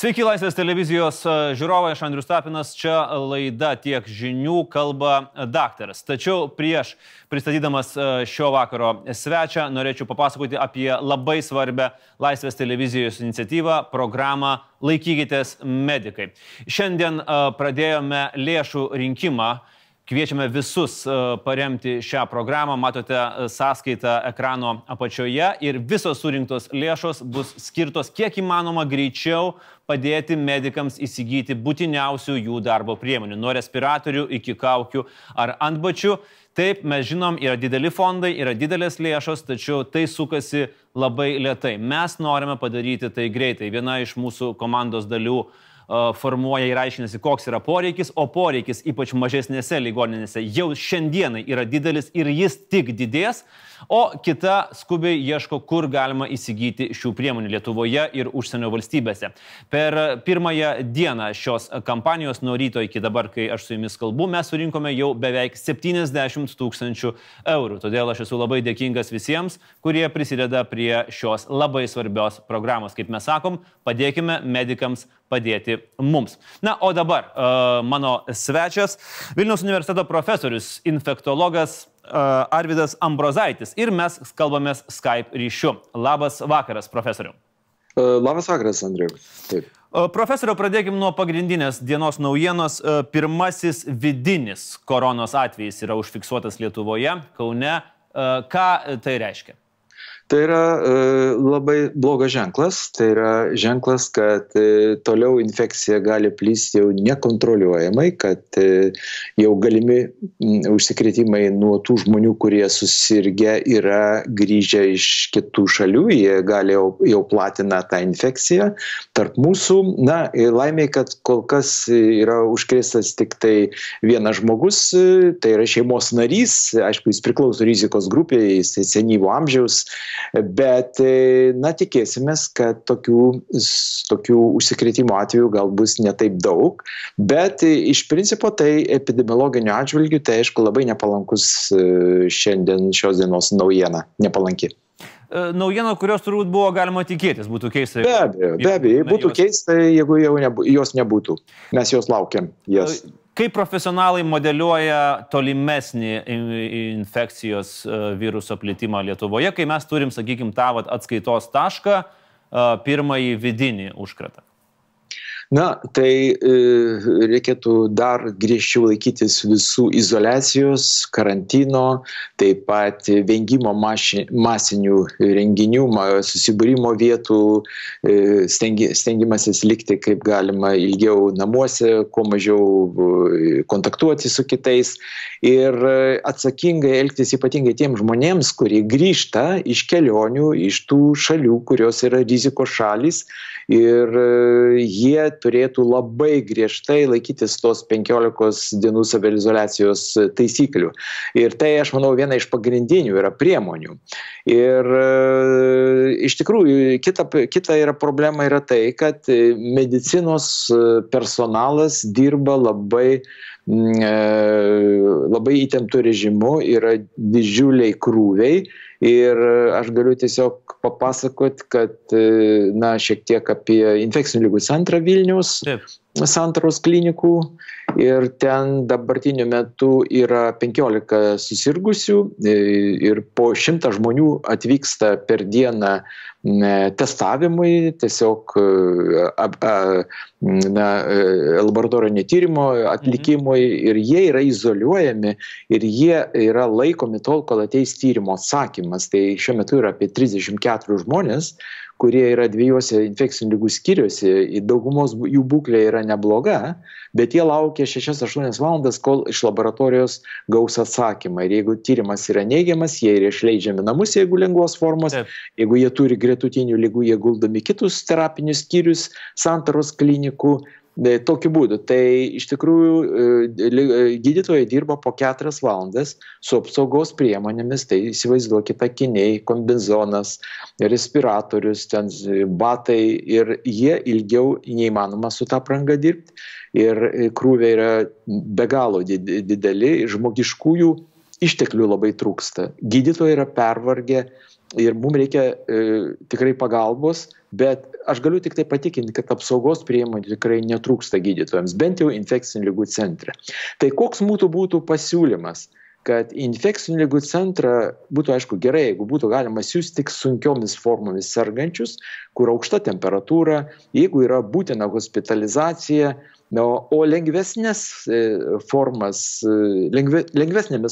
Sveiki, Laisvės televizijos žiūrovai, aš Andrius Tapinas, čia laida Tiek žinių, kalba daktaras. Tačiau prieš pristatydamas šio vakaro svečią norėčiau papasakoti apie labai svarbią Laisvės televizijos iniciatyvą, programą Laikykitės medikai. Šiandien pradėjome lėšų rinkimą. Kviečiame visus paremti šią programą, matote sąskaitą ekrano apačioje ir visos surinktos lėšos bus skirtos kiek įmanoma greičiau padėti medikams įsigyti būtiniausių jų darbo priemonių, nuo respiratorių iki kaukių ar antbačių. Taip, mes žinom, yra dideli fondai, yra didelės lėšos, tačiau tai sukasi labai lėtai. Mes norime padaryti tai greitai. Viena iš mūsų komandos dalių formuoja ir aiškinasi, koks yra poreikis, o poreikis ypač mažesnėse ligoninėse jau šiandienai yra didelis ir jis tik didės, o kita skubiai ieško, kur galima įsigyti šių priemonių Lietuvoje ir užsienio valstybėse. Per pirmąją dieną šios kampanijos nuo ryto iki dabar, kai aš su jumis kalbu, mes surinkome jau beveik 70 000 eurų. Todėl aš esu labai dėkingas visiems, kurie prisideda prie šios labai svarbios programos. Kaip mes sakom, padėkime medikams padėti mums. Na, o dabar mano svečias, Vilniaus universiteto profesorius, infektologas Arvydas Ambrozaitis ir mes kalbamės Skype ryšiu. Labas vakaras, profesoriau. Labas vakaras, Andriu. Taip. Profesoriau, pradėkime nuo pagrindinės dienos naujienos. Pirmasis vidinis koronos atvejis yra užfiksuotas Lietuvoje, Kaune. Ką tai reiškia? Tai yra labai blogas ženklas. Tai yra ženklas, kad toliau infekcija gali plisti jau nekontroliuojamai, kad jau galimi užsikrėtimai nuo tų žmonių, kurie susirgę yra grįžę iš kitų šalių, jie gali jau platina tą infekciją tarp mūsų. Na, laimiai, kad kol kas yra užkrėstas tik tai vienas žmogus, tai yra šeimos narys, aišku, jis priklauso rizikos grupėje, jis senyvo amžiaus. Bet, na, tikėsimės, kad tokių užsikrėtimo atvejų gal bus ne taip daug, bet iš principo tai epidemiologiniu atžvilgiu, tai aišku labai nepalankus šiandien šios dienos naujiena, nepalanki. Naujiena, kurios turbūt buvo galima tikėtis, būtų keista. Be abejo, būtų keista, jeigu jos nebūtų. Mes jos laukiam. Kaip profesionalai modeliuoja tolimesnį infekcijos viruso plitimą Lietuvoje, kai mes turim, sakykime, tą atskaitos tašką, pirmąjį vidinį užkratą? Na, tai reikėtų dar griežčiau laikytis visų izoliacijos, karantino, taip pat vengimo masinių renginių, susibūrimo vietų, stengimasis likti kaip galima ilgiau namuose, kuo mažiau kontaktuoti su kitais ir atsakingai elgtis ypatingai tiem žmonėms, kurie grįžta iš kelionių, iš tų šalių, kurios yra rizikos šalys ir jie turėtų labai griežtai laikytis tos 15 dienų saviizoliacijos taisyklių. Ir tai, aš manau, viena iš pagrindinių yra priemonių. Ir iš tikrųjų, kita yra problema yra tai, kad medicinos personalas dirba labai įtemptų režimu, yra didžiuliai krūviai. Ir aš galiu tiesiog papasakoti, kad, na, šiek tiek apie infekcinių ligų centrą Vilniaus, Santaros klinikų. Ir ten dabartiniu metu yra 15 susirgusių ir po 100 žmonių atvyksta per dieną testavimui, tiesiog laboratorinio tyrimo atlikimui ir jie yra izoliuojami ir jie yra laikomi tol, kol ateis tyrimo atsakymas. Tai šiuo metu yra apie 34 žmonės, kurie yra 2 infekcinių ligų skyriuose, daugumos jų būklė yra nebloga, bet jie laukia 6-8 valandas, kol iš laboratorijos gaus atsakymą. Ir jeigu tyrimas yra neigiamas, jie yra išleidžiami namus, jeigu lengvos formos, jeigu jie turi gretutinių ligų, jie guldomi kitus terapinius skyrius Santaros klinikų. Tokiu būdu. Tai iš tikrųjų gydytojai dirba po 4 valandas su apsaugos priemonėmis, tai įsivaizduokite akiniai, kombizonas, respiratorius, ten batai ir jie ilgiau neįmanoma su tą apranga dirbti ir krūviai yra be galo dideli, žmogiškųjų išteklių labai trūksta. Gydytojai yra pervargę, ir mums reikia tikrai pagalbos, bet aš galiu tik tai patikinti, kad apsaugos priemonių tikrai netrūksta gydytojams, bent jau infekcinių ligų centre. Tai koks būtų pasiūlymas? Kad infekcinių ligų centrą būtų, aišku, gerai, jeigu būtų galima siųsti tik sunkiomis formomis sergančius, kur aukšta temperatūra, jeigu yra būtina hospitalizacija, o lengvesnėmis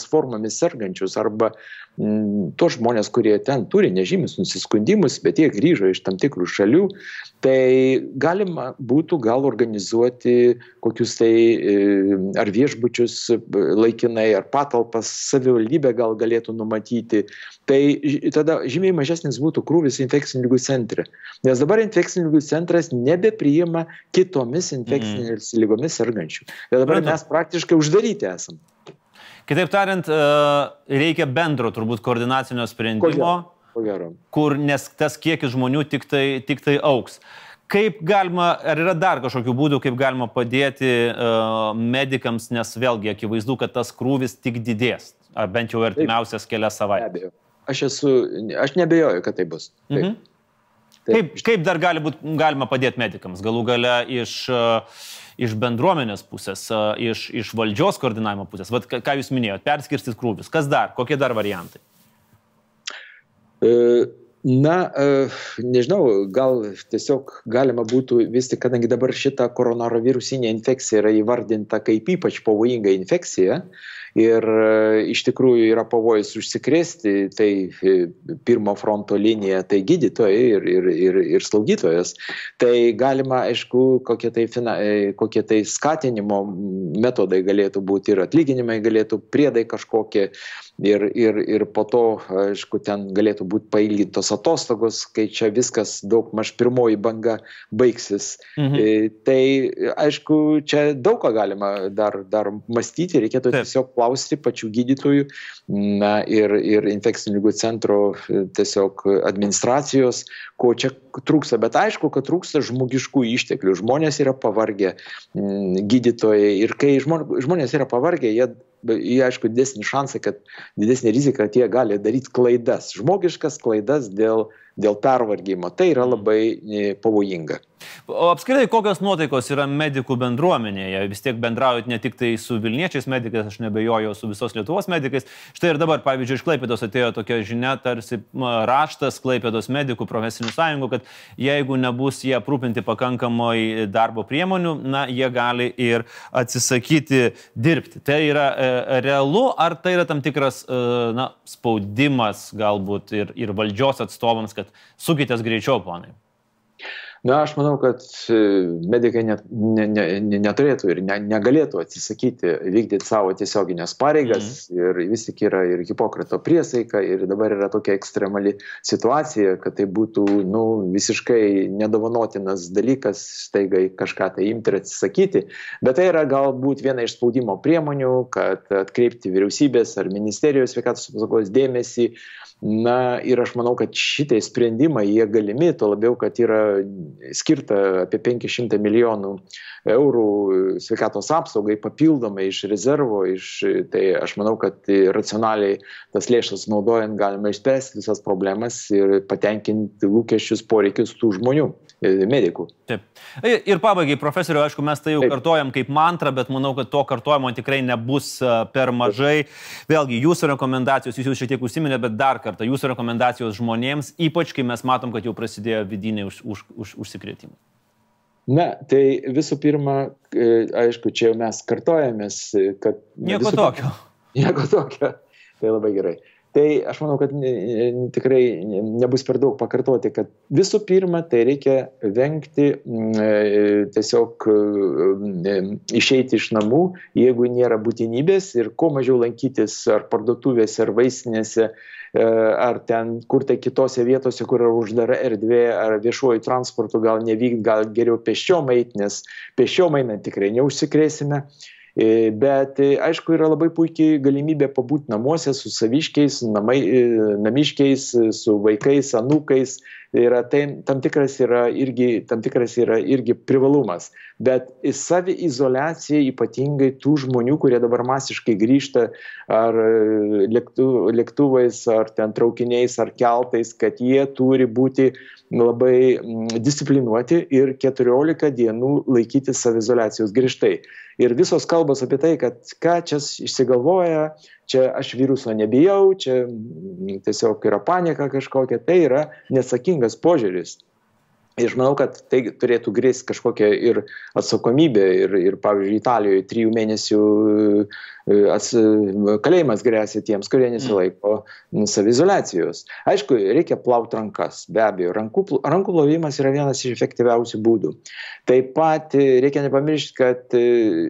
formomis sergančius arba tos žmonės, kurie ten turi nežymius nusiskundimus, bet jie grįžo iš tam tikrų šalių, tai galima būtų gal organizuoti kokius tai ar viešbučius laikinai, ar patalpas savivaldybė gal galėtų numatyti. Tai tada žymiai mažesnis būtų krūvis infekcinių ligų centre. Nes dabar infekcinių ligų centras nebepriima kitomis infekcinėmis lygomis sergančių. Tai dabar mes praktiškai uždaryti esam. Kitaip tariant, reikia bendro turbūt koordinacinio sprendimo, nes tas kiekis žmonių tik tai augs. Kaip galima, ar yra dar kažkokių būdų, kaip galima padėti medikams, nes vėlgi akivaizdu, kad tas krūvis tik didės, bent jau artimiausias kelias savaitės. Aš nebejoju, kad tai bus. Taip. Kaip dar galima padėti medikams? Galų gale iš bendruomenės pusės, iš valdžios koordinavimo pusės. Vat, ką jūs minėjote, perskirstyt krūvis. Kas dar? Kokie dar variantai? Nežinau, gal tiesiog galima būtų vis tik, kadangi dabar šita koronavirusinė infekcija yra įvardinta kaip ypač pavojinga infekcija ir iš tikrųjų yra pavojus užsikrėsti, tai pirmo fronto linija, tai gydytojai ir slaugytojas. Tai galima, aišku, kokie tai skatinimo metodai galėtų būti ir atlyginimai galėtų, priedai kažkokie ir po to, aišku, ten galėtų būti pailgintos atostogos, kai čia viskas daug maž pirmoji banga baigsis. Tai, aišku, čia daug ką galima dar mąstyti, reikėtų tiesiog klausti pačių gydytojų ir infekcinių ligų centro tiesiog administracijos, ko čia trūksta. Bet aišku, kad trūksta žmogiškų išteklių. Žmonės yra pavargę, gydytojai. Ir kai žmonės yra pavargę, jie aišku, didesnį šansą, didesnį riziką, kad jie gali daryti klaidas, žmogiškas klaidas dėl pervargimo. Tai yra labai pavojinga. O apskritai, kokios nuotaikos yra medikų bendruomenėje? Vis tiek bendraujat ne tik tai su Vilniečiais medikais, aš nebejoju, su visos Lietuvos medikais. Štai ir dabar, pavyzdžiui, iš Klaipėdos atėjo tokia žinia, tarsi raštas Klaipėdos medikų profesinių sąjungų, kad jeigu nebus jie aprūpinti pakankamai darbo priemonių, jie gali ir atsisakyti dirbti. Tai yra realu, ar tai yra tam tikras spaudimas galbūt ir valdžios atstovams, kad sukitės greičiau, ponai? Aš manau, kad medikai neturėtų ir negalėtų atsisakyti vykdyti savo tiesioginės pareigas ir vis tik yra ir Hipokrato priesaika ir dabar yra tokia ekstremali situacija, kad tai būtų visiškai nedovanotinas dalykas staigai kažką tai imti ir atsisakyti, bet tai yra galbūt viena iš spaudimo priemonių, kad atkreipti vyriausybės ar ministerijos sveikatos apsaugos dėmesį. Ir aš manau, kad šitai sprendimai jie galimi, tuo labiau, kad yra skirta apie 500 milijonų eurų sveikatos apsaugai papildomai iš rezervo, tai aš manau, kad racionaliai tas lėšas naudojant galima išspręsti visas problemas ir patenkinti lūkesčius, poreikius tų žmonių, medikų. Taip. Ir pabaigai, profesoriu, aišku, mes tai jau kartojam kaip mantrą, bet manau, kad to kartojimo tikrai nebus per mažai. Vėlgi, jūsų rekomendacijos, jūs šiek tiek užsiminėte, bet dar kartą, jūsų rekomendacijos žmonėms, ypač kai mes matom, kad jau prasidėjo vidiniai užsikrėtimai. Tai visų pirma, aišku, čia jau mes kartojamės, kad... Nieko tokio. Tai labai gerai. Tai aš manau, kad tikrai nebus per daug pakartoti, kad visų pirma, tai reikia vengti tiesiog išeiti iš namų, jeigu nėra būtinybės ir kuo mažiau lankytis ar parduotuvėse, ar vaistinėse, ar ten kur tai kitose vietose, kur yra uždara erdvė, ar viešuoju transportu gal nevykti, gal geriau pėsčiom eiti, nes pėsčiom einant tikrai neužsikrėsime. Bet aišku, yra labai puikiai galimybė pabūti namuose su saviškiais, namiškiais, su vaikais, anūkais. Tam tikras yra irgi privalumas. Bet saviizoliacija ypatingai tų žmonių, kurie dabar masiškai grįžta ar lėktuvais, ar ten traukiniais, ar keltais, kad jie turi būti labai disciplinuoti ir 14 dienų laikyti saviizoliacijos griežtai. Ir visos kalbos apie tai, kad ką čia išsigalvoja, čia aš viruso nebijau, čia tiesiog yra panika kažkokia, tai yra neatsakingas požiūris. Ir aš manau, kad tai turėtų grėsti kažkokią ir atsakomybę. Ir pavyzdžiui, Italijoje 3 mėnesių kalėjimas grėsia tiems, kurie nesilaiko saviizoliacijos. Aišku, reikia plauti rankas, be abejo. Rankų plovimas yra vienas iš efektyviausių būdų. Taip pat reikia nepamiršti, kad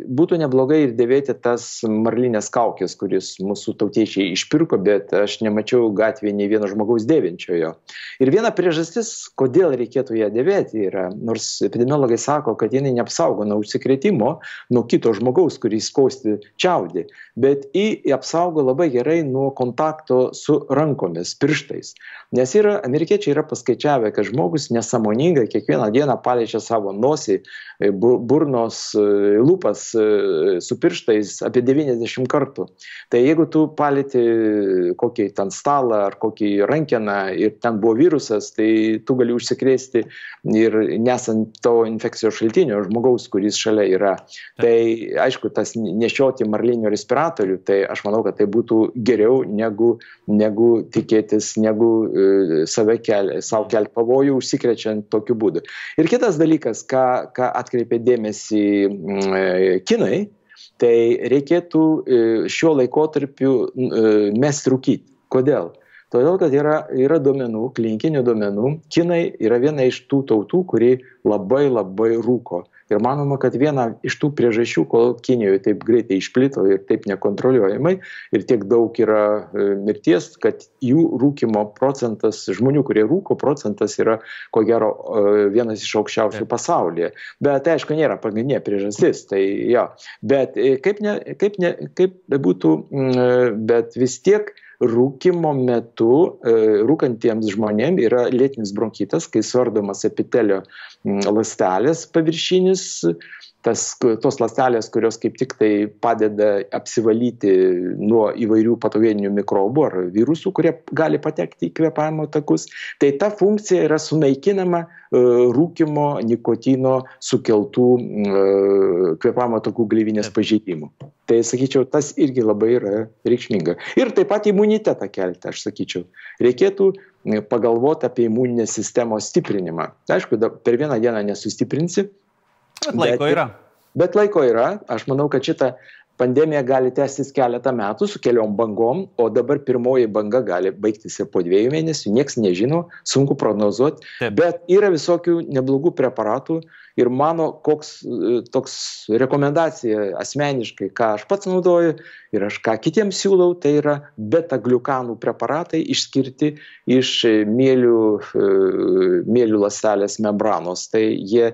būtų neblogai ir dėvėti tas marlinės kaukės, kuris mūsų tautiečiai išpirko, bet aš nemačiau gatvėje nei vieno žmogaus dėvinčiojo. Ir viena priežastis, kodėl reikėtų ją dėvėti yra, nors epidemiologai sako, kad jinai neapsaugo nuo užsikrėtimo, nuo kito žmogaus, kuris kosti čiaudį, bet apsaugo labai gerai nuo kontakto su rankomis, pirštais. Nes amerikiečiai yra paskaičiavę, kad žmogus nesąmoningai kiekvieną dieną paliečia savo nosį, burnos, lūpas su pirštais apie 90 kartų. Tai jeigu tu palieti kokį ten stalą ar kokį rankeną ir ten buvo virusas, tai tu gali užsikrėsti ir nesant to infekcijos šaltinio žmogaus, kuris šalia yra. Tai aišku, tas nešioti marlinio respiratorių, tai aš manau, kad tai būtų geriau negu tikėtis, negu savo kelti pavojų užsikrečiant tokiu būdu. Ir kitas dalykas, ką atkreipė dėmesį kinai, tai reikėtų šiuo laikotarpiu mesti rūkyti. Kodėl? Todėl, kad yra duomenų, klinikinių duomenų. Kinai yra viena iš tų tautų, kuri labai rūko. Ir manoma, kad viena iš tų priežasčių, kol Kinijoje taip greitai išplito ir taip nekontroliuojamai ir tiek daug yra mirties, kad jų rūkimo procentas, žmonių, kurie rūko procentas yra, ko gero, vienas iš aukščiausių pasaulyje. Bet aišku, nėra pagrindinė priežastis. Tai, ja. Bet kaip bebūtų, bet vis tiek rūkimo metu rūkantiems žmonėms yra lėtinis bronchitas, kai suardomas epitelio ląstelės paviršinis, tos ląstelės, kurios kaip tik tai padeda apsivalyti nuo įvairių patogeninių mikrobų ar virusų, kurie gali patekti į kvėpavimo takus. Tai ta funkcija yra sunaikinama rūkimo, nikotino sukeltų kvėpavimo takų gleivinės pažeidimų. Tai, sakyčiau, tas irgi labai yra reikšminga. Ir taip pat imunitetą kelti, aš sakyčiau. Reikėtų pagalvoti apie imuninės sistemos stiprinimą. Aišku, per vieną dieną nesustiprinsi. Bet laiko yra. Aš manau, kad šitą pandemija gali tęstis keletą metų su keliom bangom, o dabar pirmoji banga gali baigtis ir po 2 mėnesių. Niekas nežino, sunku prognozuoti. Bet yra visokių neblogų preparatų. Ir mano toks rekomendacija asmeniškai, ką aš pats naudoju ir aš ką kitiems siūlau, tai yra beta-gliukanų preparatai išskirti iš mielių ląstelės membranos. Tai jie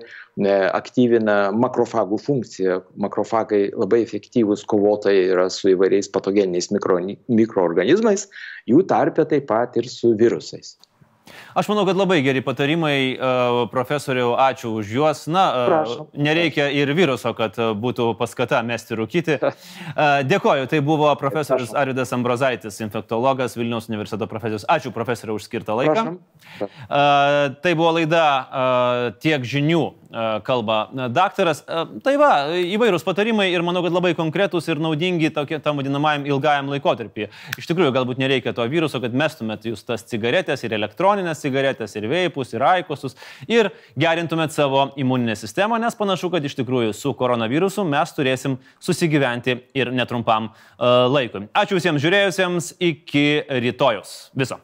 aktyvina makrofagų funkciją. Makrofagai labai efektyvūs kovotojai yra su įvairiais patogeniniais mikroorganizmais, jų tarpe taip pat ir su virusais. Aš manau, kad labai geri patarimai, profesoriau, ačiū už juos. Nereikia ir viruso, kad būtų paskata mesti rūkyti. Dėkoju, tai buvo profesorius Arvydas Ambrozaitis, infektologas, Vilniaus universiteto profesorius. Ačiū, profesoriau, už skirtą laiką. Tai buvo laida Tiek žinių, kalba daktaras. Tai va, įvairūs patarimai ir manau, kad labai konkretūs ir naudingi tam vadinamajam ilgajam laikotarpį. Iš tikrųjų, galbūt nereikia to viruso, kad mestumėt jūs tas cigaretės ir elektroninės cigaretės, ir veipus, ir aikosus, ir gerintumėt savo imuninę sistemą, nes panašu, kad iš tikrųjų su koronavirusu mes turėsim susigyventi ir netrumpam laikui. Ačiū visiems žiūrėjusiems, iki rytojus. Viso.